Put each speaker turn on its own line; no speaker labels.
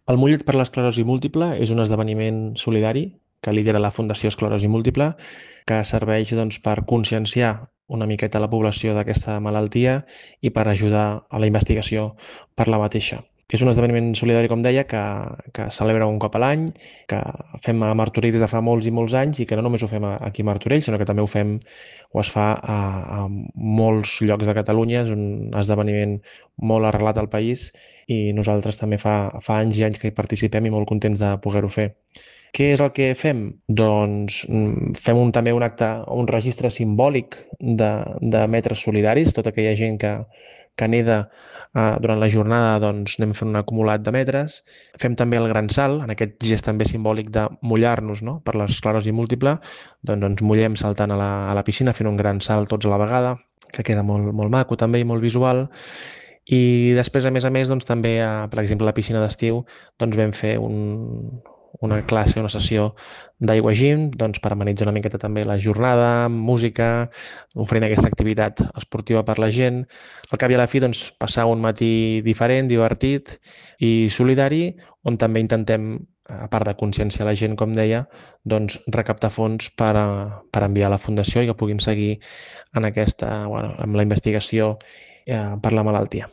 El Mollet per l'Esclerosi Múltiple és un esdeveniment solidari que lidera la Fundació Esclerosi Múltiple, que serveix doncs, per conscienciar una miqueta la població d'aquesta malaltia i per ajudar a la investigació per la mateixa. És un esdeveniment solidari, com deia, que celebra un cop a l'any, que fem a Martorell des de fa molts i molts anys i que no només ho fem aquí a Martorell, sinó que també ho fem o es fa a molts llocs de Catalunya. És un esdeveniment molt arrelat al país i nosaltres també fa anys i anys que hi participem i molt contents de poder-ho fer. Què és el que fem? Doncs fem també un acte, un registre simbòlic de metres solidaris. Tota aquella gent que neda durant la jornada, doncs anem fent un acumulat de metres. Fem també el gran salt, en aquest gest també simbòlic de mullar-nos, no? Per l'esclerosi múltiple, doncs ens mullem saltant a la piscina, fent un gran salt tots a la vegada, que queda molt, molt maco també i molt visual. I després, a més, doncs, també, per exemple, a la piscina d'estiu, doncs vam fer una classe, una sessió d'aigua gym, doncs, per amenitzar una miqueta també la jornada, amb música, oferint aquesta activitat esportiva per la gent. Al cap i a la fi, doncs, passar un matí diferent, divertit i solidari, on també intentem, a part de conscienciar la gent, com deia, doncs, recaptar fons per enviar a la Fundació i que puguin seguir en aquesta, bueno, amb la investigació per la malaltia.